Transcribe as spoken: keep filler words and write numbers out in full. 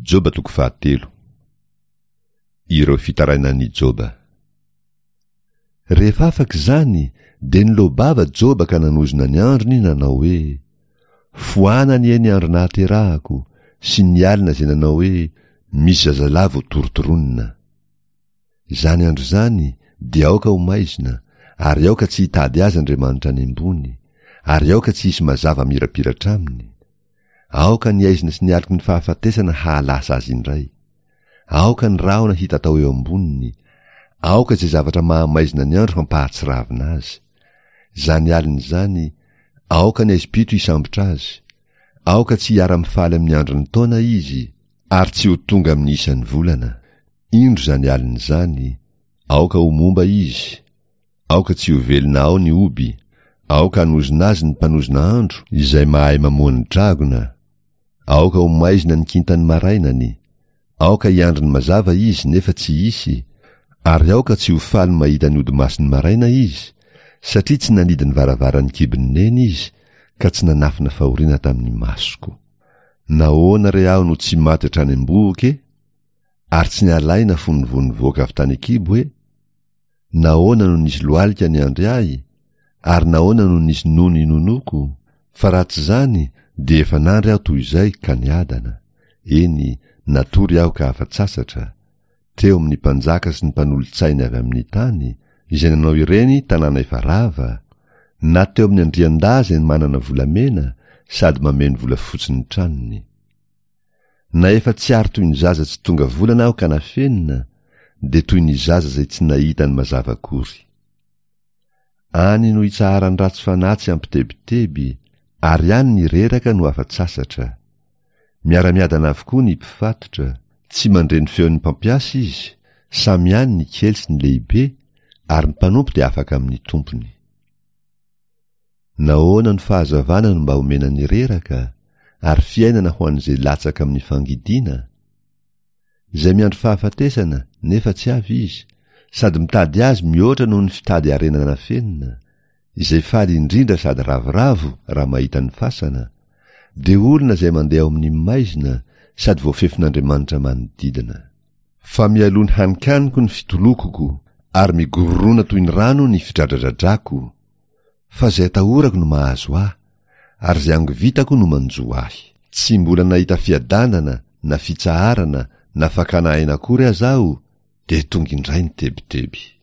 Joba toko fahatelo. Ireo fitarainan'i Joba. Rehefa afaka izany, dia niloa-bava Joba ka nanozona ny androny nanao hoe: Foana anie ny andro nahaterahako, sy ny alina izay nanao hoe: Misy zazalahy vao torontoronina. Izany andro izany dia aoka ho maizina, ary aoka tsy hitady azy Andriamanitra any ambony, ary aoka tsy hisy mazava mirapiratra aminy. Aoka ny aizina sy ny aloky ny fahafatesana hahalasa azy indray. Aoka ny rahona hitatao eo amboniny. Aoka izay zavatra mahamaizina ny andro hampahatsiravina azy. Izany alina izany, aoka ny aizim-pito hisambotra azy. Aoka tsy hiara-mifaly amin'ny andron'ny taona izy, ary tsy ho tonga amin'ny isan'ny volana. Indro izany alina izany, aoka ho momba izy. Aoka tsy ho velona ao ny oby. Aoka hanozona azy ny mpanozona andro, izay mahay mamoha ny dragona. Aoka ho maizina ny kintan'ny marainany. Aoka hiandry ny mazava izy nefa tsy hisy, ary aoka tsy ho faly mahita ny odimason'ny maraina izy, satria tsy nanidy ny varavaran'ny kibon'ny neny izy, ka tsy nanafina fahoriana tamin'ny masoko. Nahoana re aho no tsy maty hatrany am-bohoka e? Ary tsy nalaina fony vao nivoaka avy tany an-kibo e? Nahoana no nisy lohalika niandry ahy? Ary nahoana no nisy nono inonoako? Fa raha tsy izany dia efa nandry aho toy izay ka niadana. Eny, natory aho ka afa-tsasatra, teo amin'ny mpanjaka sy ny mpanolotsainy avy amin'ny tany, izay nanao ireny tanàna efa rava, na teo amin'ny andriandahy izay manana volamena sady mameno volafotsy ny tranony. Na efa tsy ary toy ny zaza tsy tonga volana aho ka nafenina, dia toy ny zaza izay tsy nahita ny mazava akory. Any no itsaharan'ny ratsy fanahy tsy ampitebiteby, ary any ny reraka no afa-tsasatra. Miara-miadana avokoa ny mpifatotra, tsy mandre ny feon'ny mpampiasa izy, samy any ny kely sy ny lehibe, ary ny mpanompo dia afaka amin'ny tompony. Nahoana no fahazavana no mba omena ny reraka, ary fiainana ho an'izay latsaka amin'ny fangidiana? Izay miandry fahafatesana nefa tsy avy izy, sady mitady azy mihoatra noho ny fitady harena nafenina, izay faly indrindra sady ravoravo raha mahita ny fasana, dia olona izay mandeha ao amin'ny maizina sady voafefin'Andriamanitra manodidina. Fa mialoha ny haninkaniko ny fitolokoko, ary migorona toy ny rano ny fidradradradrako. Fa izay atahorako no mahazo ahy, ary izay angovitako no manjo ahy. Tsy mbola nahita fiadanana na fitsaharana na fakana aina akory aza aho, dia tonga indray ny tebiteby.